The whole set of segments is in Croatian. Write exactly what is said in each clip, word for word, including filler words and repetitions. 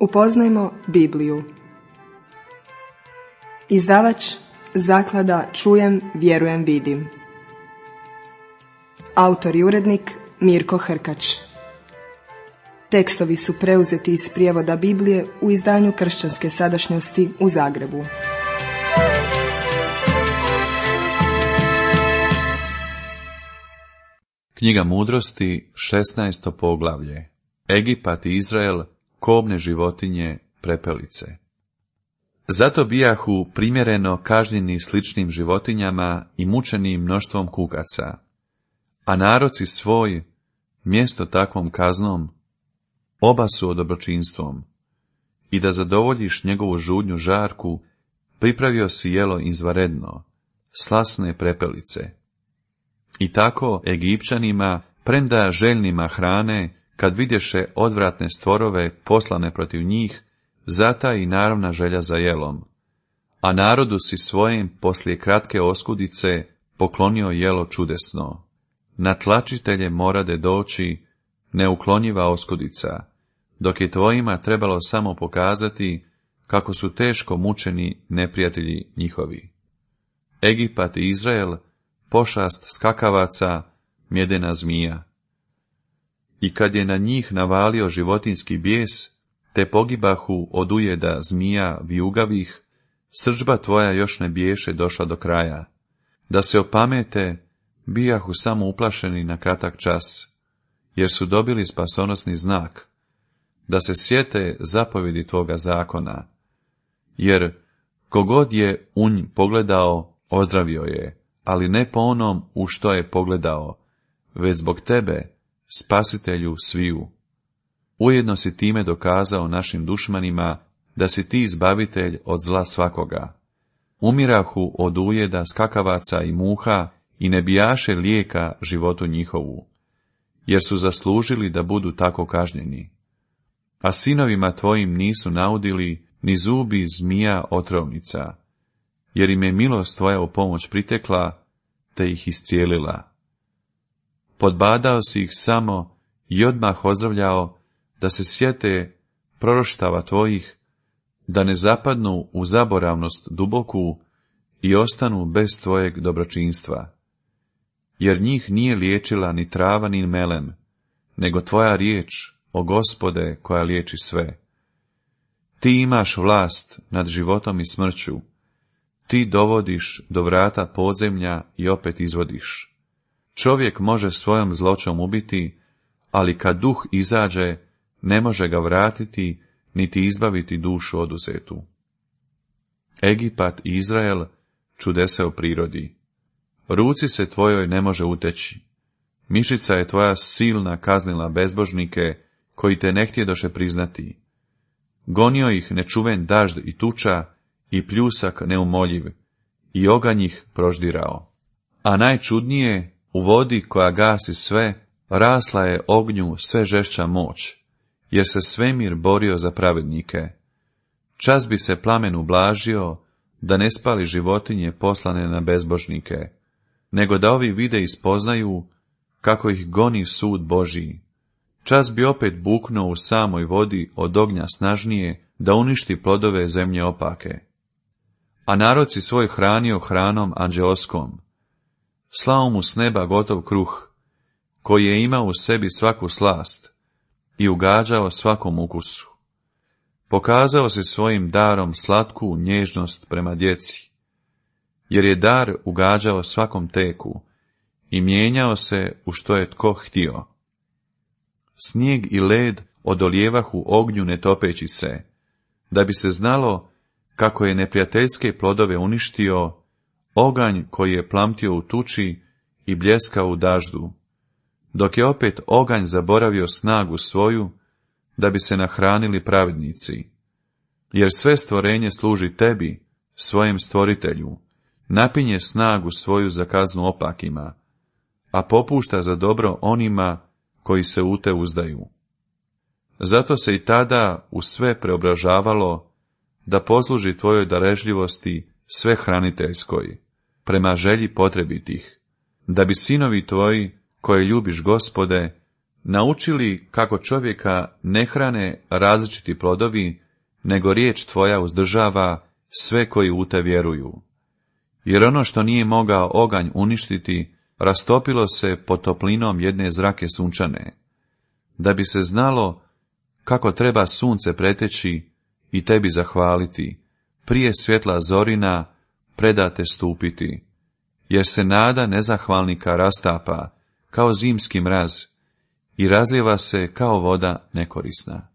Upoznajmo Bibliju. Izdavač Zaklada Čujem, vjerujem, vidim. Autor i urednik Mirko Hrkač. Tekstovi su preuzeti iz prijevoda Biblije u izdanju Kršćanske sadašnjosti u Zagrebu. Knjiga Mudrosti, šesnaesto poglavlje. Egipat i Izrael, kobne životinje, prepelice. Zato bijahu primjereno kažnjeni sličnim životinjama i mučeni mnoštvom kukaca, a narod si svoj, mjesto takvom kaznom, obasuo dobročinstvom, i da zadovoljiš njegovu žudnju žarku, pripravio si jelo izvanredno, slasne prepelice. I tako Egipćanima, premda željnima hrane, kad vidješe odvratne stvorove poslane protiv njih, zata i naravna želja za jelom. A narodu si svojem poslije kratke oskudice poklonio jelo čudesno. Na tlačitelje morade doći neuklonjiva oskudica, dok je tvojima trebalo samo pokazati kako su teško mučeni neprijatelji njihovi. Egipat i Izrael, pošast skakavaca, mjedena zmija. I kad je na njih navalio životinski bijes, te pogibahu od ujeda zmija vijugavih, srdžba tvoja još ne biješe došla do kraja. Da se opamete, bijahu samo uplašeni na kratak čas, jer su dobili spasonosni znak, da se sjete zapovjedi tvoga zakona. Jer kogod je u nj pogledao, ozdravio je, ali ne po onom u što je pogledao, već zbog tebe, spasitelju sviju. Ujedno si time dokazao našim dušmanima da si ti izbavitelj od zla svakoga. Umirahu od ujeda skakavaca i muha i ne bijaše lijeka životu njihovu, jer su zaslužili da budu tako kažnjeni. A sinovima tvojim nisu naudili ni zubi zmija otrovnica, jer im je milost tvoja u pomoć pritekla, te ih iscijelila. Podbadao si ih samo i odmah ozdravljao da se sjete proroštava tvojih, da ne zapadnu u zaboravnost duboku i ostanu bez tvojeg dobročinstva. Jer njih nije liječila ni trava ni melem, nego tvoja riječ, o Gospode, koja liječi sve. Ti imaš vlast nad životom i smrću, ti dovodiš do vrata podzemlja i opet izvodiš. Čovjek može svojom zloćom ubiti, ali kad duh izađe, ne može ga vratiti, niti izbaviti dušu oduzetu. Egipat i Izrael, čudese u prirodi. Ruci se tvojoj ne može uteći. Mišica je tvoja silna kaznila bezbožnike, koji te ne htjedoše priznati. Gonio ih nečuven dažd i tuča, i pljusak neumoljiv, i oganj ih proždirao. A najčudnije, u vodi koja gasi sve, rasla je ognju sve žešća moć, jer se svemir borio za pravednike. Čas bi se plamen ublažio, da ne spali životinje poslane na bezbožnike, nego da ovi vide i spoznaju kako ih goni sud Božji. Čas bi opet buknuo u samoj vodi od ognja snažnije, da uništi plodove zemlje opake. A narod si svoj hranio hranom anđeoskom, slao mu s neba gotov kruh, koji je imao u sebi svaku slast i ugađao svakom ukusu. Pokazao si svojim darom slatku nježnost prema djeci, jer je dar ugađao svakom teku i mijenjao se u što je tko htio. Snijeg i led odolijevahu ognju ne topeći se, da bi se znalo kako je neprijateljske plodove uništio, oganj koji je plamtio u tuči i bljeskao u daždu, dok je opet oganj zaboravio snagu svoju, da bi se nahranili pravednici. Jer sve stvorenje služi tebi, svojem stvoritelju, napinje snagu svoju za kaznu opakima, a popušta za dobro onima koji se u te uzdaju. Zato se i tada u sve preobražavalo, da posluži tvojoj darežljivosti sve hraniteljskoj, prema želji potrebitih, da bi sinovi tvoji, koje ljubiš Gospode, naučili kako čovjeka ne hrane različiti plodovi, nego riječ tvoja uzdržava sve koji u te vjeruju. Jer ono što nije mogao oganj uništiti, rastopilo se pod toplinom jedne zrake sunčane, da bi se znalo kako treba sunce preteći i tebi zahvaliti, prije svjetla zorina predate stupiti, jer se nada nezahvalnika rastapa kao zimski mraz i razlijeva se kao voda nekorisna.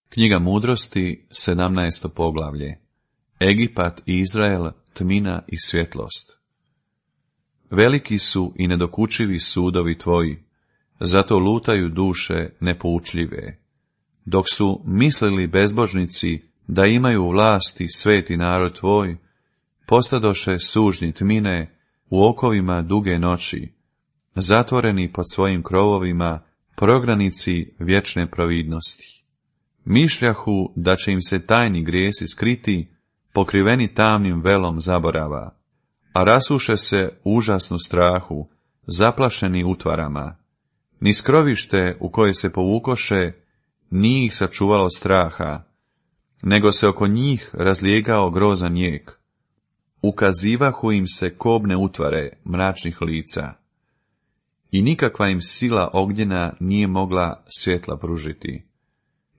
Knjiga mudrosti, sedamnaesto poglavlje. Egipat i Izrael, tmina i svjetlost. Veliki su i nedokučivi sudovi tvoji, zato lutaju duše nepoučljive. Dok su mislili bezbožnici da imaju vlasti sveti narod tvoj, postadoše sužnji tmine u okovima duge noći, zatvoreni pod svojim krovovima, prognanici vječne providnosti. Mišljahu da će im se tajni grijesi skriti, pokriveni tamnim velom zaborava, a rasuše se užasnu strahu, zaplašeni utvarama. Ni skrovište u koje se povukoše, nije ih sačuvalo straha, nego se oko njih razlijegao grozan jek. Ukazivahu im se kobne utvare mračnih lica, i nikakva im sila ognjena nije mogla svjetla pružiti,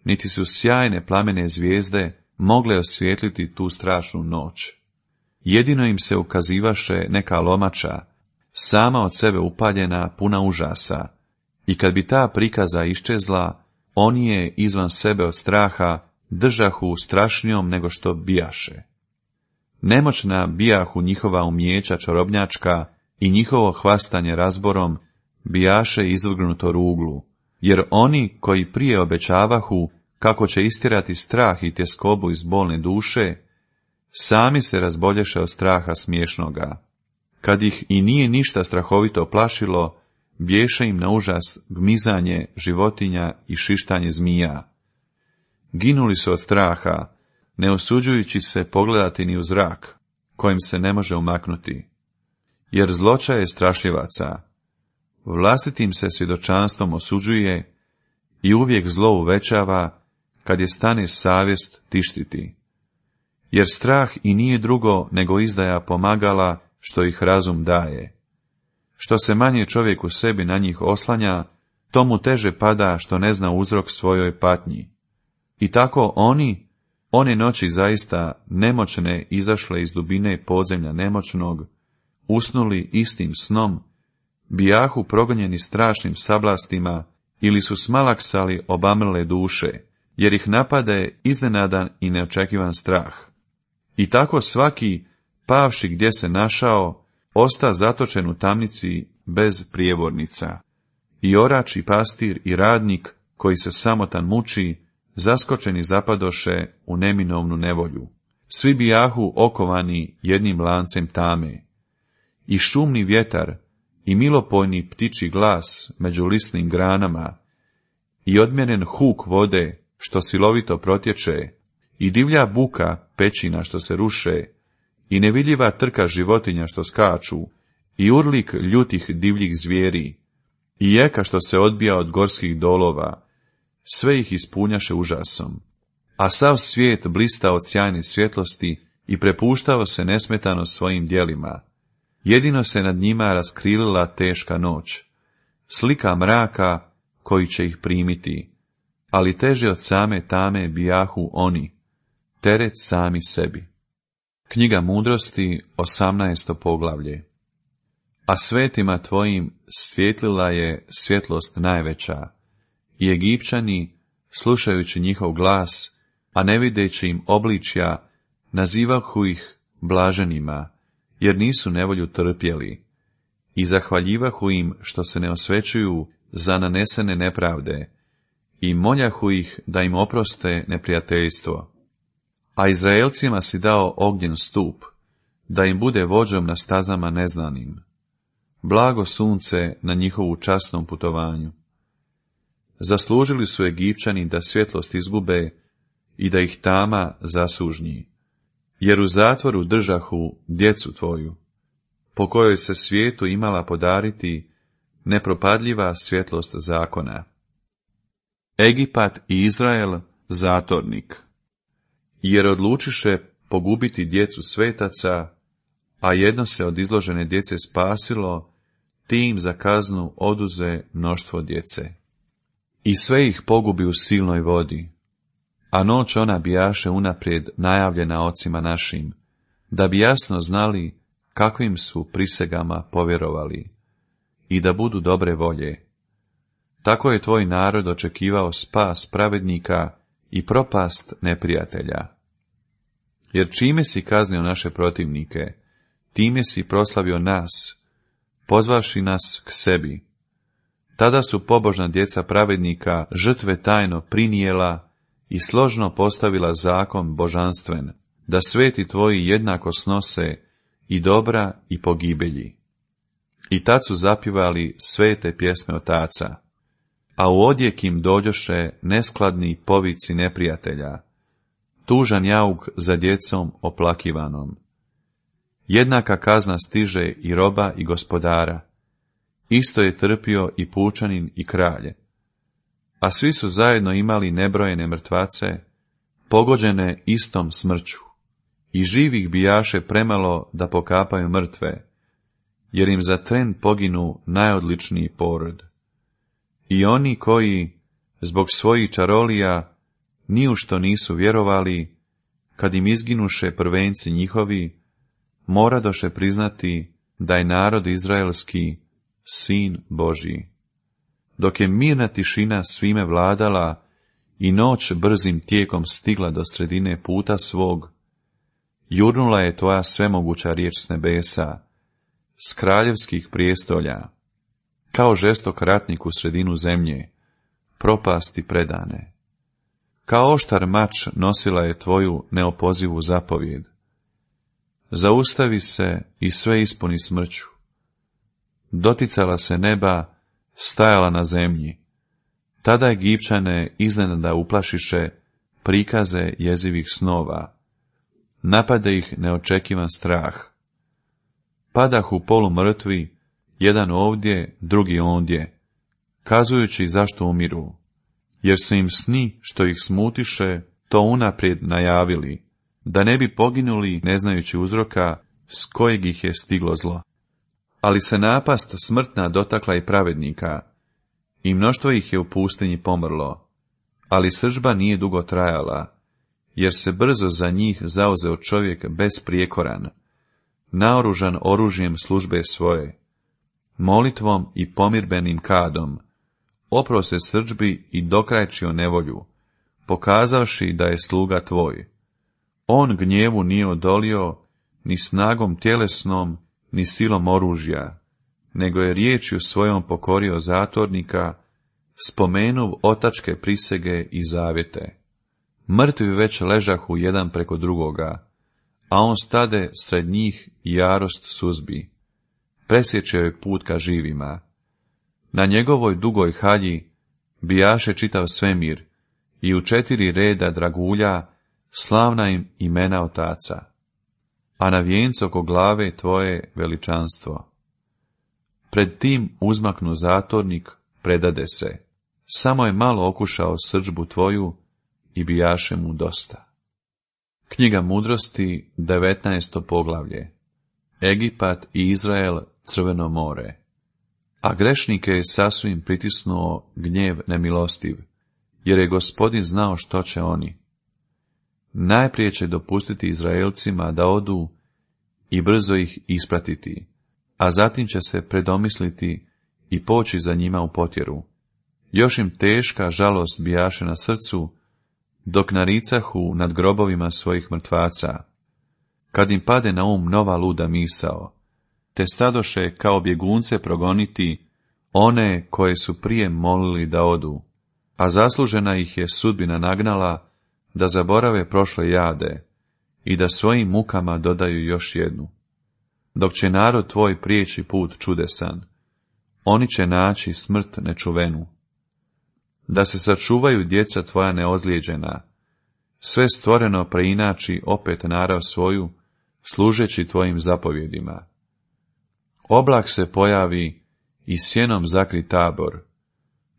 niti su sjajne plamene zvijezde mogle osvijetliti tu strašnu noć. Jedino im se ukazivaše neka lomača, sama od sebe upaljena, puna užasa, i kad bi ta prikaza iščezla, oni je izvan sebe od straha držahu strašnijom nego što bijaše. Nemoćna bijahu njihova umjeća čarobnjačka i njihovo hvastanje razborom bijaše izvrgnuto ruglu, jer oni koji prije obećavahu kako će istjerati strah i tjeskobu iz bolne duše, sami se razbolješe od straha smiješnoga. Kad ih i nije ništa strahovito plašilo, bješe im na užas gmizanje životinja i šištanje zmija. Ginuli su od straha, ne usuđujući se pogledati ni u zrak, kojim se ne može umaknuti. Jer zloća je strašljivaca, vlastitim se svjedočanstvom osuđuje i uvijek zlo uvećava, kad je stane savjest tištiti. Jer strah i nije drugo nego izdaja pomagala što ih razum daje. Što se manje čovjek u sebi na njih oslanja, to mu teže pada što ne zna uzrok svojoj patnji. I tako oni, one noći zaista nemoćne izašle iz dubine podzemlja nemoćnog, usnuli istim snom, bijahu progonjeni strašnim sablastima ili su smalaksali obamrle duše, jer ih napade iznenadan i neočekivan strah. I tako svaki, pavši gdje se našao, osta zatočen u tamnici bez prijevornica. I orač i pastir i radnik, koji se samotan muči, zaskočeni zapadoše u neminovnu nevolju. Svi bijahu okovani jednim lancem tame. I šumni vjetar, i milopojni ptičji glas među lisnim granama, i odmjeren huk vode, što silovito protječe, i divlja buka pećina što se ruše, i nevidljiva trka životinja što skaču, i urlik ljutih divljih zvijeri, i jeka što se odbija od gorskih dolova, sve ih ispunjaše užasom. A sav svijet blista od sjajne svjetlosti i prepuštao se nesmetano svojim djelima. Jedino se nad njima raskrilila teška noć, slika mraka koji će ih primiti, ali teže od same tame bijahu oni, teret sami sebi. Knjiga mudrosti, osamnaesto poglavlje. A svetima tvojim svjetlila je svjetlost najveća, i Egipćani, slušajući njihov glas, a ne videći im obličja, nazivahu ih blaženima, jer nisu nevolju trpjeli, i zahvaljivahu im što se ne osvećuju za nanesene nepravde, i moljahu ih da im oproste neprijateljstvo. A Izraelcima si dao ognjen stup, da im bude vođom na stazama neznanim. Blago sunce na njihovu časnom putovanju. Zaslužili su Egipćani da svjetlost izgube i da ih tama zasužnji, jer u zatvoru držahu djecu tvoju, po kojoj se svijetu imala podariti nepropadljiva svjetlost zakona. Egipat i Izrael zatornik, jer odlučiše pogubiti djecu svetaca, a jedno se od izložene djece spasilo, tim za kaznu oduze mnoštvo djece. I sve ih pogubi u silnoj vodi, a noć ona bijaše unaprijed najavljena ocima našim, da bi jasno znali kakvim su prisegama povjerovali, i da budu dobre volje. Tako je tvoj narod očekivao spas pravednika i propast neprijatelja. Jer čime si kaznio naše protivnike, time si proslavio nas, pozvavši nas k sebi. Tada su pobožna djeca pravednika žrtve tajno prinijela i složno postavila zakon božanstven, da sveti tvoji jednako snose i dobra i pogibelji. I tad su zapivali svete pjesme otaca, a u odjek im dođoše neskladni povici neprijatelja, tužan jauk za djecom oplakivanom. Jednaka kazna stiže i roba i gospodara, isto je trpio i pučanin i kralje. A svi su zajedno imali nebrojene mrtvace, pogođene istom smrću, i živih bijaše premalo da pokapaju mrtve, jer im za tren poginu najodličniji porod. I oni koji, zbog svojih čarolija, ni u što nisu vjerovali, kad im izginuše prvenci njihovi, moradoše priznati da je narod izraelski sin Božji. Dok je mirna tišina svime vladala i noć brzim tijekom stigla do sredine puta svog, jurnula je tvoja svemoguća riječ s nebesa, s kraljevskih prijestolja, kao žestok ratnik u sredinu zemlje, propasti predane. Kao oštar mač nosila je tvoju neopozivu zapovjed. Zaustavi se i sve ispuni smrću. Doticala se neba, stajala na zemlji. Tada Egipćane iznenada uplašiše prikaze jezivih snova. Napade ih neočekivan strah. Padahu polumrtvi, jedan ovdje, drugi ondje, kazujući zašto umiru, jer su im sni što ih smutiše to unaprijed najavili, da ne bi poginuli ne znajući uzroka s kojeg ih je stiglo zlo. Ali se napast smrtna dotakla i pravednika, i mnoštvo ih je u pustinji pomrlo, ali srdžba nije dugo trajala, jer se brzo za njih zauzeo čovjek besprijekoran, naoružan oružjem službe svoje, molitvom i pomirbenim kadom, opro se srdžbi i dokrajčio nevolju, pokazavši da je sluga tvoj. On gnjevu nije odolio ni snagom tjelesnom, ni silom oružja, nego je riječju svojom pokorio zatornika, spomenuv otačke prisege i zavjete. Mrtvi već ležahu jedan preko drugoga, a on stade sred njih i jarost suzbi. Presječe joj put ka živima. Na njegovoj dugoj halji bijaše čitav svemir i u četiri reda dragulja slavna im imena otaca, a na vijencu oko glave tvoje veličanstvo. Pred tim uzmaknu zatornik, predade se, samo je malo okušao srdžbu tvoju i bijaše mu dosta. Knjiga mudrosti, devetnaesto poglavlje. Egipat i Izrael, Crveno more. A grešnike je sasvim pritisnuo gnjev nemilostiv, jer je Gospodin znao što će oni. Najprije će dopustiti Izraelcima da odu i brzo ih ispratiti, a zatim će se predomisliti i poći za njima u potjeru. Još im teška žalost bijaše na srcu, dok naricahu nad grobovima svojih mrtvaca, kad im pade na um nova luda misao, te stadoše kao bjegunce progoniti one koje su prije molili da odu, a zaslužena ih je sudbina nagnala da zaborave prošle jade i da svojim mukama dodaju još jednu. Dok će narod tvoj prijeći put čudesan, oni će naći smrt nečuvenu. Da se sačuvaju djeca tvoja neozlijeđena, sve stvoreno preinači opet narav svoju, služeći tvojim zapovjedima. Oblak se pojavi i sjenom zakri tabor,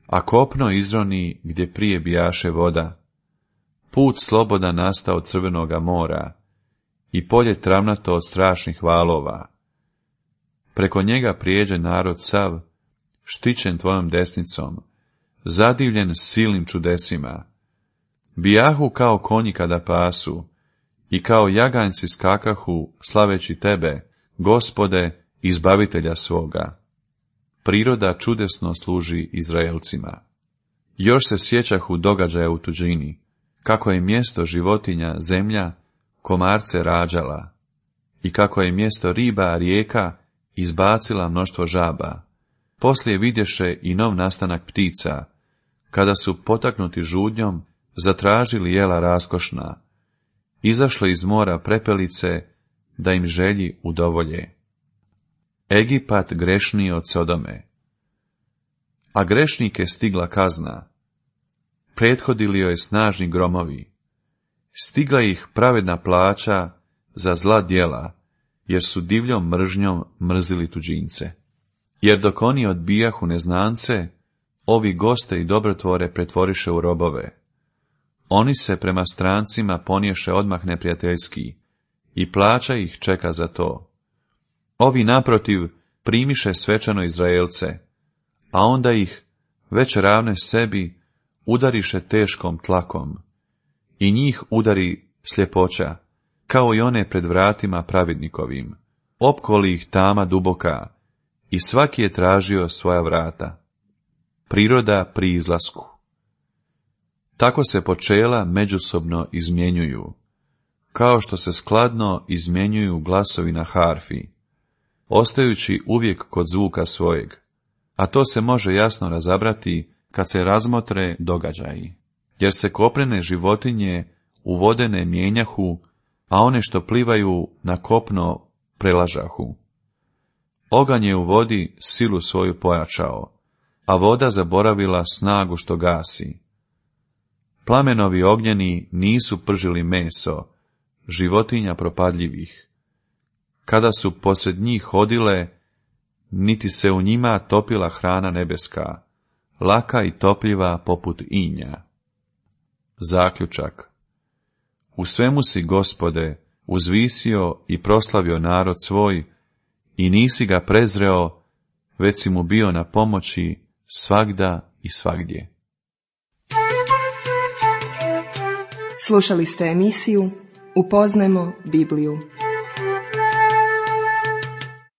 a kopno izroni gdje prije bijaše voda. Put slobodan nastao od Crvenoga mora i polje travnato od strašnih valova. Preko njega prijeđe narod sav, štićen tvojom desnicom, zadivljen silnim čudesima. Bijahu kao konji kada pasu, i kao jaganjci skakahu, slaveći tebe, Gospode, izbavitelja svoga. Priroda čudesno služi Izraelcima. Još se sjećahu događaja u tuđini, kako je mjesto životinja zemlja komarce rađala, i kako je mjesto riba rijeka izbacila mnoštvo žaba. Poslije vidješe i nov nastanak ptica, kada su potaknuti žudnjom zatražili jela raskošna, izašle iz mora prepelice da im želji udovolje. Egipat grešniji od Sodome. A grešnike stigla kazna, prethodili joj snažni gromovi, stigla ih pravedna plaća za zla djela, jer su divljom mržnjom mrzili tuđince. Jer dok oni odbijahu neznance, ovi goste i dobrotvore pretvoriše u robove. Oni se prema strancima poniješe odmah neprijateljski, i plaća ih čeka za to. Ovi naprotiv primiše svečano Izraelce, a onda ih, već ravne sebi, udariše teškom tlakom, i njih udari sljepoća, kao i one pred vratima pravednikovim, opkoli ih tama duboka, i svaki je tražio svoja vrata. Priroda pri izlasku. Tako se počela međusobno izmjenjuju, kao što se skladno izmjenjuju glasovi na harfi, ostajući uvijek kod zvuka svojeg, a to se može jasno razabrati kad se razmotre događaji, jer se kopnene životinje u vode ne mijenjahu, a one što plivaju na kopno prelažahu. Oganj je u vodi silu svoju pojačao, a voda zaboravila snagu što gasi. Plamenovi ognjeni nisu pržili meso, životinja propadljivih. Kada su posled njih hodile, niti se u njima topila hrana nebeska, laka i topljiva poput inja. Zaključak. U svemu si, Gospode, uzvisio i proslavio narod svoj, i nisi ga prezreo, već si mu bio na pomoći svagda i svagdje. Slušali ste emisiju Upoznajmo Bibliju.